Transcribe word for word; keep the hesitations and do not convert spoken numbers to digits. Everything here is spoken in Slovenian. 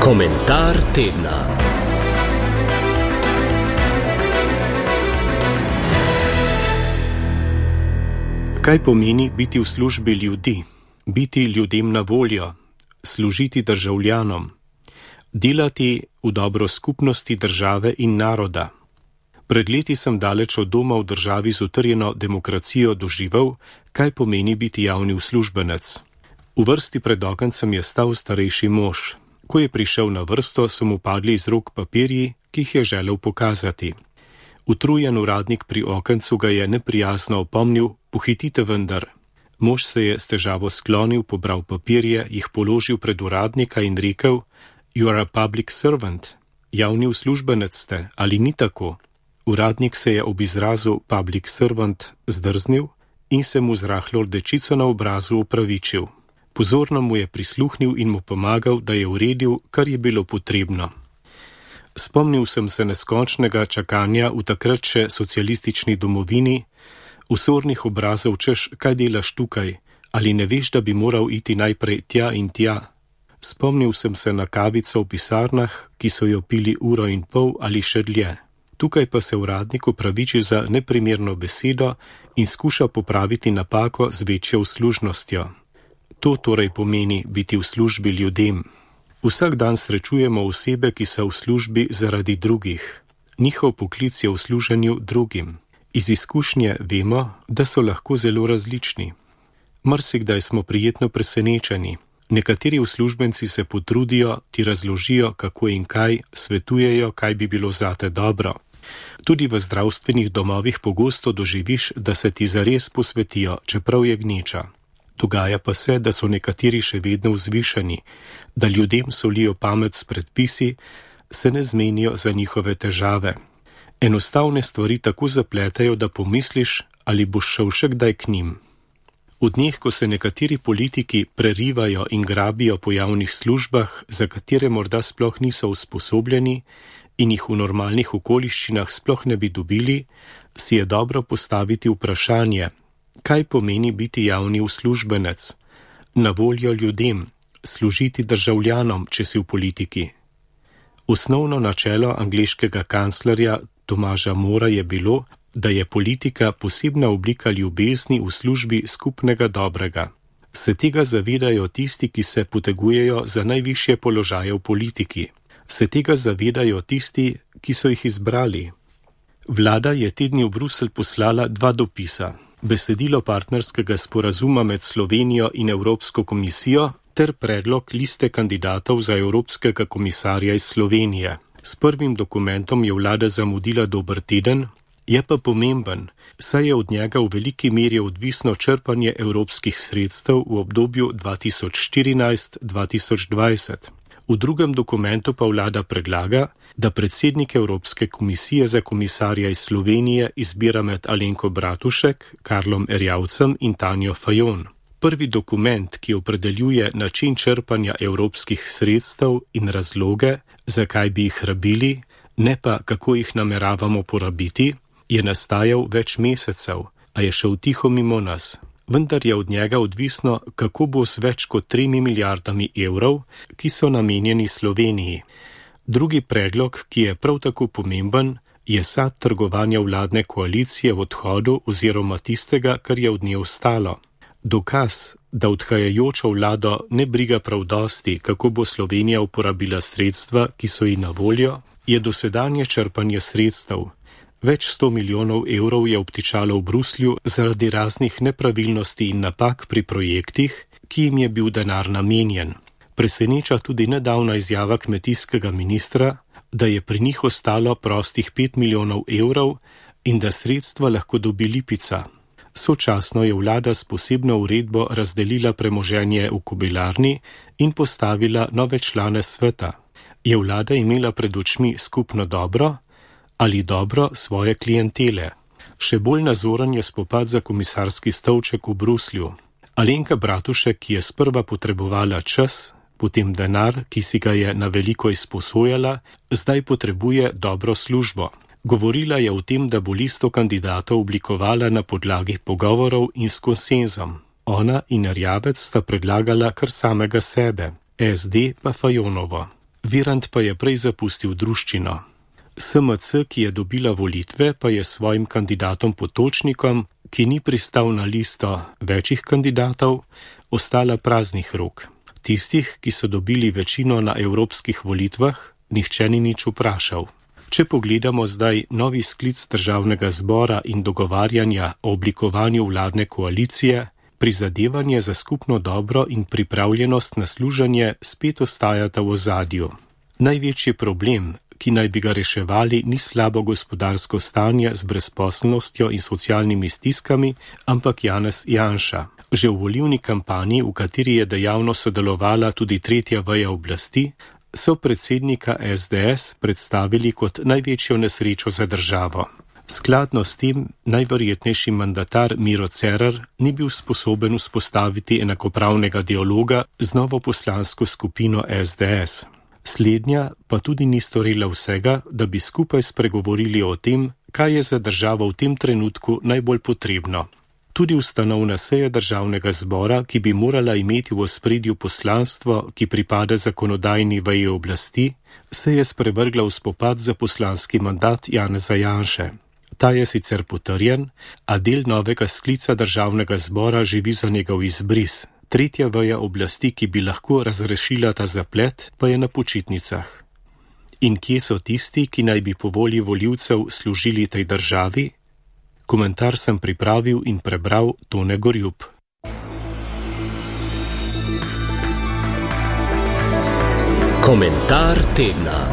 Komentar tedna. Kaj pomeni biti v službi ljudi, biti ljudem na voljo, služiti državljanom, delati v dobro skupnosti države in naroda? Pred leti sem daleč od doma v državi z utrjeno demokracijo doživel, kaj pomeni biti javni uslužbenec. V vrsti pred okencem je stal starejši mož. Ko je prišel na vrsto, so mu padli iz rok papirji, ki jih je želel pokazati. Utrujen uradnik pri okencu ga je neprijazno opomnil: pohitite vendar. Mož se je s težavo sklonil, pobral papirje, jih položil pred uradnika in rekel: You are a public servant. Javni uslužbenec ste, ali ni tako? Uradnik se je ob izrazu public servant zdrznil in se mu z rahlo rdečico na obrazu opravičil. Pozorno mu je prisluhnil in mu pomagal, da je uredil, kar je bilo potrebno. Spomnil sem se neskončnega čakanja v takrat še socialistični domovini, usornih obrazov češ, kaj delaš tukaj, ali ne veš, da bi moral iti najprej tja in tja. Spomnil sem se na kavico v pisarnah, ki so jo pili uro in pol ali še dlje. Tukaj pa se uradnik opraviči za neprimerno besedo in skuša popraviti napako z večjo uslužnostjo. To torej pomeni biti v službi ljudem. Vsak dan srečujemo osebe, ki so v službi zaradi drugih. Njihov poklic je v služenju drugim. Iz izkušnje vemo, da so lahko zelo različni. Marsikdaj smo prijetno presenečeni. Nekateri uslužbenci se potrudijo, ti razložijo, kako in kaj, svetujejo, kaj bi bilo zate dobro. Tudi v zdravstvenih domovih pogosto doživiš, da se ti zares posvetijo, čeprav je gneča. Dogaja pa se, da so nekateri še vedno vzvišeni, da ljudem solijo pamet s predpisi, se ne zmenijo za njihove težave. Enostavne stvari tako zapletajo, da pomisliš, ali boš šel še kdaj k njim. V dneh, ko se nekateri politiki prerivajo in grabijo po javnih službah, za katere morda sploh niso usposobljeni in jih v normalnih okoliščinah sploh ne bi dobili, si je dobro postaviti vprašanje, kaj pomeni biti javni uslužbenec, na voljo ljudem, služiti državljanom, če si v politiki. Osnovno načelo angleškega kanclerja Tomaža Mora je bilo, da je politika posebna oblika ljubezni v službi skupnega dobrega. Se tega zavedajo tisti, ki se potegujejo za najvišje položaje v politiki. Se tega zavedajo tisti, ki so jih izbrali. Vlada je te dni v Bruselj poslala dva dopisa. Besedilo partnerskega sporazuma med Slovenijo in Evropsko komisijo ter predlog liste kandidatov za Evropskega komisarja iz Slovenije. S prvim dokumentom je vlada zamudila dober teden, je pa pomemben, saj je od njega v veliki meri odvisno črpanje evropskih sredstev v obdobju dva tisoč štirinajst do dva tisoč dvajset. V drugem dokumentu pa vlada predlaga, da predsednik Evropske komisije za komisarja iz Slovenije izbira med Alenko Bratušek, Karlom Erjavcem in Tanjo Fajon. Prvi dokument, ki opredeljuje način črpanja evropskih sredstev in razloge, zakaj bi jih rabili, ne pa kako jih nameravamo porabiti, je nastajal več mesecev, a je šel tiho mimo nas. Vendar je od njega odvisno, kako bo s več kot tremi milijardami evrov, ki so namenjeni Sloveniji. Drugi predlog, ki je prav tako pomemben, je sad trgovanja vladne koalicije v odhodu oziroma tistega, kar je od nje ostalo. Dokaz, da odhajajočo vlado ne briga prav dosti, kako bo Slovenija uporabila sredstva, ki so ji na voljo, je dosedanje črpanje sredstev. Več sto milijonov evrov je obtičalo v Bruslju zaradi raznih nepravilnosti in napak pri projektih, ki jim je bil denar namenjen. Preseneča tudi nedavna izjava kmetijskega ministra, da je pri njih ostalo prostih pet milijonov evrov in da sredstva lahko dobi Lipica. Sočasno je vlada s posebno uredbo razdelila premoženje v Kobilarni in postavila nove člane sveta. Je vlada imela pred očmi skupno dobro ali dobro svoje klientele? Še bolj nazoren je spopad za komisarski stolček v Bruslju. Alenka Bratušek, ki je sprva potrebovala čas, potem denar, ki si ga je na veliko izposojala, zdaj potrebuje dobro službo. Govorila je o tem, da bo listo kandidatov oblikovala na podlagi pogovorov in s konsenzom. Ona in Erjavec sta predlagala kar samega sebe, S D pa Fajonovo. Virant pa je prej zapustil druščino. S M C, ki je dobila volitve, pa je svojim kandidatom Potočnikom, ki ni pristal na listo večjih kandidatov, ostala praznih rok. Tistih, ki so dobili večino na evropskih volitvah, nihče ni nič vprašal. Če pogledamo zdaj novi sklic državnega zbora in dogovarjanja o oblikovanju vladne koalicije, prizadevanje za skupno dobro in pripravljenost na služenje spet ostajata v ozadju. Največji problem, ki naj bi ga reševali, ni slabo gospodarsko stanje z brezposelnostjo in socialnimi stiskami, ampak Janez Janša. Že v volilni kampanji, v kateri je dejavno sodelovala tudi tretja veja oblasti, so predsednika S D S predstavili kot največjo nesrečo za državo. Skladno s tem najverjetnejši mandatar Miro Cerar ni bil sposoben vzpostaviti enakopravnega dialoga z novo poslansko skupino S D S. Slednja pa tudi ni storila vsega, da bi skupaj spregovorili o tem, kaj je za državo v tem trenutku najbolj potrebno. Tudi ustanovna seja državnega zbora, ki bi morala imeti v ospredju poslanstvo, ki pripada zakonodajni veji oblasti, se je sprevrgla v spopad za poslanski mandat Janeza Janše. Ta je sicer potrjen, a del novega sklica državnega zbora živi za njegov izbris. Tretja veja oblasti, ki bi lahko razrešila ta zaplet, pa je na počitnicah. In kje so tisti, ki naj bi po volji volivcev služili tej državi? Komentar sem pripravil in prebral Tone Gorjup. Komentar tedna.